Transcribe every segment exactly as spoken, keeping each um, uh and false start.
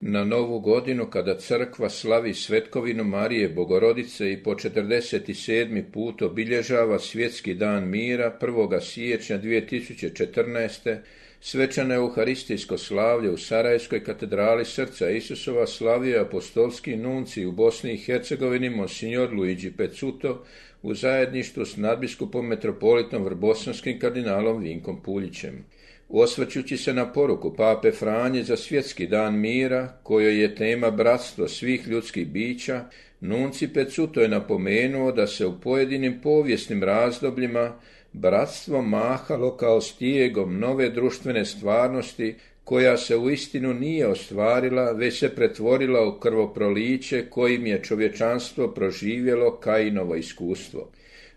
Na Novu godinu, kada crkva slavi svetkovinu Marije Bogorodice i po četrdeset sedmi put obilježava Svjetski dan mira prvog siječnja dvije tisuće četrnaeste. svečano euharistijsko slavlje u Sarajevskoj katedrali Srca Isusova slavio apostolski nuncij u Bosni i Hercegovini Monsignor Luigi Pezzuto u zajedništvu s nadbiskupom metropolitom vrbosanskim kardinalom Vinkom Puljićem. Osvrćući se na poruku pape Franje za Svjetski dan mira, kojoj je tema bratstvo svih ljudskih bića, nuncij Pezzuto je napomenuo da se u pojedinim povijesnim razdobljima bratstvo mahalo kao stijegom nove društvene stvarnosti, koja se uistinu nije ostvarila, već se pretvorila u krvoproliće kojim je čovječanstvo proživjelo Kainovo iskustvo.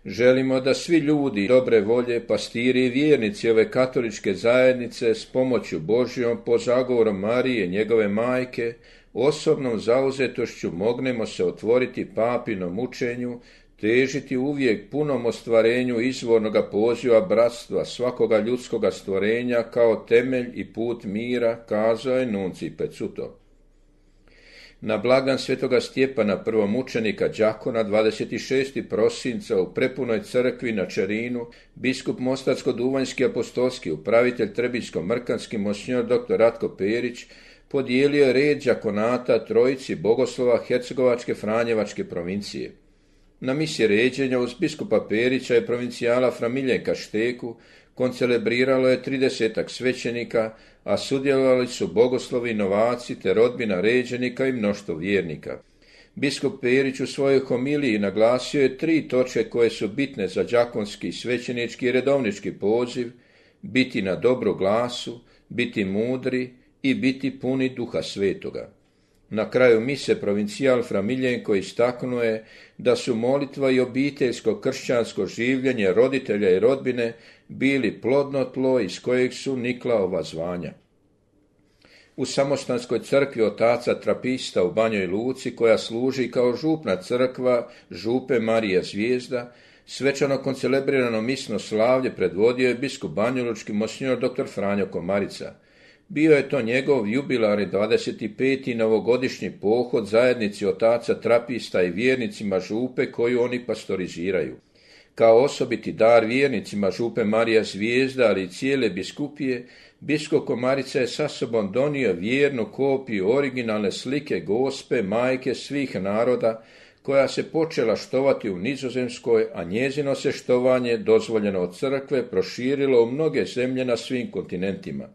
Želimo da svi ljudi dobre volje, pastiri i vjernici ove katoličke zajednice s pomoću Božjom po zagovorom Marije, njegove majke, osobnom zauzetošću mognemo se otvoriti papinom učenju, težiti uvijek punom ostvarenju izvornoga poziva bratstva svakoga ljudskoga stvorenja kao temelj i put mira, kazao je nuncij Pezzuto. Na blagdan svetoga Stjepana, prvomučenika đakona, dvadeset šestog prosinca u prepunoj crkvi na Čerinu, biskup Mostarsko-duvanjski apostolski upravitelj Trebinjsko-mrkanski monsignor doktor Ratko Perić podijelio je red đakonata trojici bogoslova Hercegovačke Franjevačke provincije. Na misi ređenja uz biskupa Perića i provincijala Fra Miljenka Šteku koncelebriralo je tridesetak svećenika, a sudjelovali su bogoslovi, novaci te rodbina ređenika i mnoštvo vjernika. Biskup Perić u svojoj homiliji naglasio je tri točke koje su bitne za đakonski, svećenički i redovnički poziv: biti na dobru glasu, biti mudri i biti puni Duha Svetoga. Na kraju mise provincijal Fra Miljenko istaknuo je da su molitva i obiteljsko kršćansko življenje roditelja i rodbine bili plodno tlo iz kojeg su nikla ova zvanja. U Samostanskoj crkvi otaca Trapista u Banjoj Luci, koja služi kao župna crkva župe Marija Zvijezda, svečano koncelebrirano misno slavlje predvodio je biskup banjalučki monsignor doktor Franjo Komarica. Bio je to njegov jubilarni dvadeset peti novogodišnji pohod zajednici otaca Trapista i vjernicima župe koju oni pastoriziraju. Kao osobiti dar vjernicima župe Marija Zvijezda, ali i cijele biskupije, biskup Komarica je sa sobom donio vjernu kopiju originalne slike Gospe, majke svih naroda, koja se počela štovati u Nizozemskoj, a njezino se štovanje, dozvoljeno od crkve, proširilo u mnoge zemlje na svim kontinentima.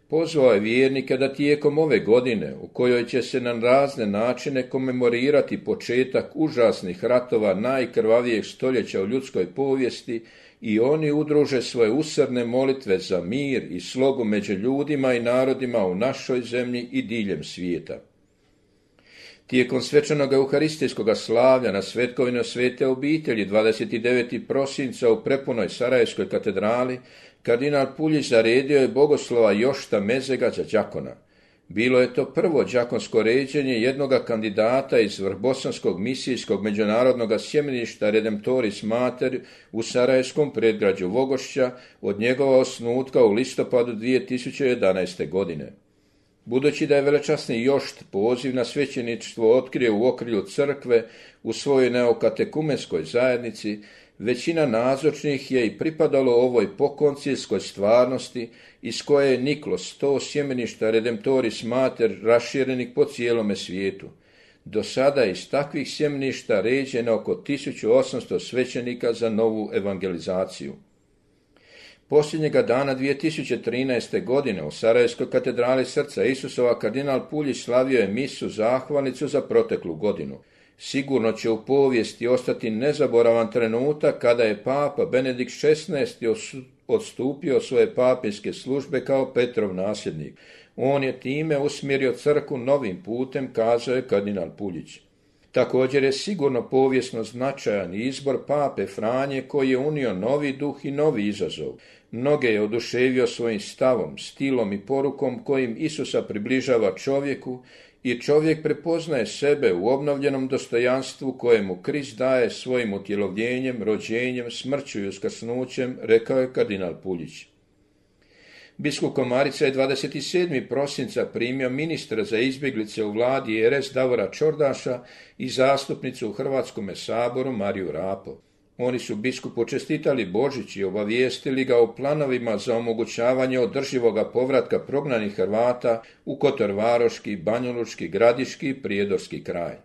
Pozvao je vjernike da tijekom ove godine, u kojoj će se na razne načine komemorirati početak užasnih ratova najkrvavijeg stoljeća u ljudskoj povijesti, i oni udruže svoje usrdne molitve za mir i slogu među ljudima i narodima u našoj zemlji i diljem svijeta. Tijekom svečanog euharistijskog slavlja na svetkovinu Svete obitelji dvadeset devetog prosinca u prepunoj Sarajevskoj katedrali, kardinal Puljić zaredio je bogoslova Jošta Mezega za đakona. Bilo je to prvo đakonsko ređenje jednoga kandidata iz vrbosanskog misijskog međunarodnog sjemeništa Redemptoris Mater u sarajevskom predgrađu Vogošća od njegova osnutka u listopadu dvije tisuće jedanaeste. godine. Budući da je velečasni Jošt poziv na svećeništvo otkrio u okrilju crkve u svojoj neokatekumenskoj zajednici, većina nazočnih je i pripadalo ovoj pokoncilskoj stvarnosti iz koje je niklo sto sjemeništa Redemptoris Mater raširenih po cijelome svijetu. Do sada je iz takvih sjemeništa ređeno oko tisuću osamsto svećenika za novu evangelizaciju. Posljednjega dana dvije tisuće trinaeste. godine u Sarajevskoj katedrali Srca Isusova kardinal Puljić slavio je misu zahvalnicu za proteklu godinu. Sigurno će u povijesti ostati nezaboravan trenutak kada je papa Benedikt šesnaesti. odstupio svoje papinske službe kao Petrov nasljednik. On je time usmjerio crkvu novim putem, kazao je kardinal Puljić. Također je sigurno povijesno značajan izbor pape Franje, koji je unio novi duh i novi izazov. Mnoge je oduševio svojim stavom, stilom i porukom kojim Isusa približava čovjeku, i čovjek prepoznaje sebe u obnovljenom dostojanstvu kojemu Krist daje svojim utjelovljenjem, rođenjem, smrću i uskrsnućem, rekao je kardinal Puljić. Biskup Komarica je dvadeset sedmog prosinca primio ministra za izbjeglice u vladi er es Davora Čordaša i zastupnicu u Hrvatskome saboru Mariju Rapo. Oni su biskupu čestitali Božić i obavijestili ga o planovima za omogućavanje održivoga povratka prognanih Hrvata u Kotorvaroški, Banjalučki, Gradiški i Prijedorski kraj.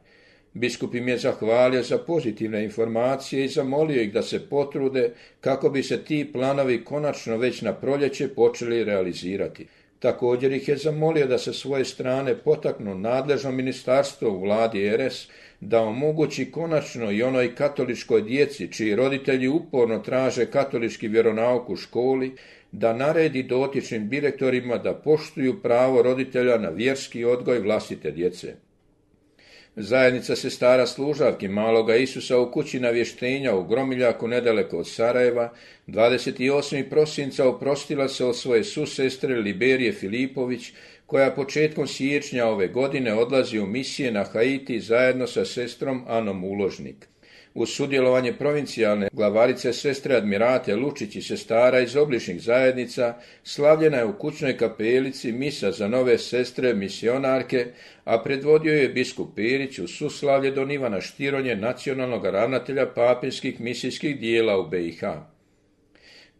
Biskup im je zahvalio za pozitivne informacije i zamolio ih da se potrude kako bi se ti planovi konačno već na proljeće počeli realizirati. Također ih je zamolio da sa svoje strane potaknu nadležno ministarstvo u vladi er es da omogući konačno i onoj katoličkoj djeci čiji roditelji uporno traže katolički vjeronauk u školi, da naredi dotičnim direktorima da poštuju pravo roditelja na vjerski odgoj vlastite djece. Zajednica sestara služavki Maloga Isusa u kući navještenja u Gromiljaku nedaleko od Sarajeva dvadeset osmog prosinca oprostila se od svoje susestre Liberije Filipović, koja početkom siječnja ove godine odlazi u misije na Haiti zajedno sa sestrom Anom Uložnik. Uz sudjelovanje provincijalne glavarice sestre Admirate Lučić i sestara iz obližnjih zajednica slavljena je u kućnoj kapelici misa za nove sestre misionarke, a predvodio je biskup Perić uz suslavlje don Ivana Štironje, nacionalnog ravnatelja papinskih misijskih dijela u be i ha.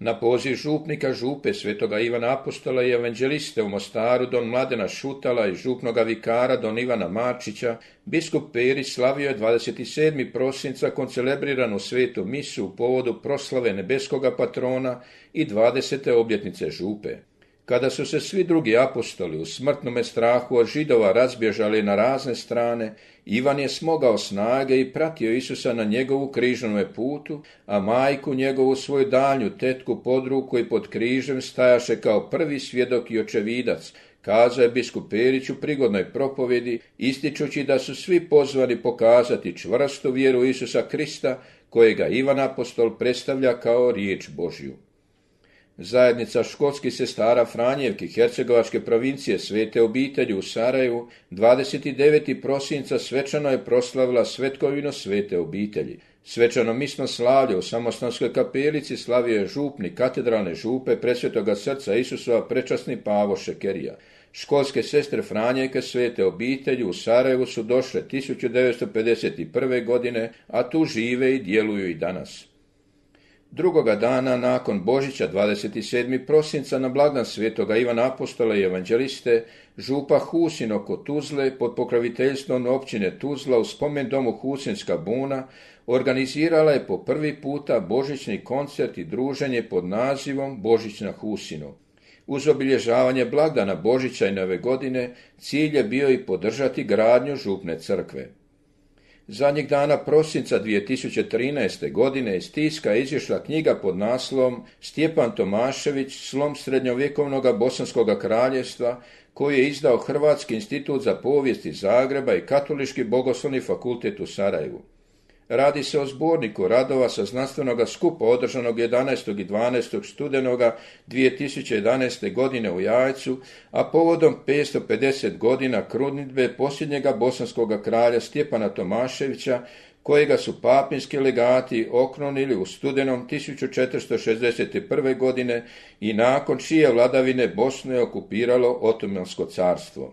Na poziv župnika župe svetoga Ivana Apostola i evanđeliste u Mostaru don Mladena Šutala i župnoga vikara don Ivana Marčića, biskup Perić slavio je dvadeset sedmog prosinca koncelebriranu svetu misu u povodu proslave nebeskoga patrona i dvadesete obljetnice župe. Kada su se svi drugi apostoli u smrtnome strahu od Židova razbježali na razne strane, Ivan je smogao snage i pratio Isusa na njegovu križnome putu, a majku njegovu svoju daljnju tetku pod ruku i pod križem stajaše kao prvi svjedok i očevidac, kazao je biskup Perić u prigodnoj propovjedi, ističući da su svi pozvani pokazati čvrstu vjeru Isusa Krista, kojega Ivan apostol predstavlja kao riječ Božju. Zajednica školskih sestara Franjevki Hercegovačke provincije Svete obitelji u Sarajevu dvadeset devetog prosinca svečano je proslavila svetkovinu Svete obitelji. Svečano misno slavlje u Samostanskoj kapelici slavio je župnik katedralne župe Presvetoga srca Isusova prečasni Pavo Šekerija. Školske sestre Franjevke Svete obitelji u Sarajevu su došle tisuću devetsto pedeset prve. godine, a tu žive i djeluju i danas. Drugoga dana nakon Božića dvadeset sedmog prosinca na blagdan svetoga Ivana Apostola i evanđeliste, župa Husin oko Tuzle pod pokroviteljstvom općine Tuzla u spomen domu Husinska buna organizirala je po prvi puta božićni koncert i druženje pod nazivom Božić na Husinu. Uz obilježavanje blagdana Božića i Nove godine cilj je bio i podržati gradnju župne crkve. Zadnjeg dana prosinca dvije tisuće trinaeste. godine iz tiska je izišla knjiga pod naslovom Stjepan Tomašević, slom srednjovjekovnog Bosanskog kraljevstva, koju je izdao Hrvatski institut za povijest iz Zagreba i Katolički bogoslovni fakultet u Sarajevu. Radi se o zborniku radova sa znanstvenog skupa održanog jedanaestog i dvanaestog studenoga dvije tisuće jedanaeste. godine u Jajcu, a povodom petsto pedeset godina krunidbe posljednjega bosanskog kralja Stjepana Tomaševića, kojega su papinski legati okrunili u studenom tisuću četiristo šezdeset prve. godine i nakon čije vladavine Bosnu je okupiralo Otomansko carstvo.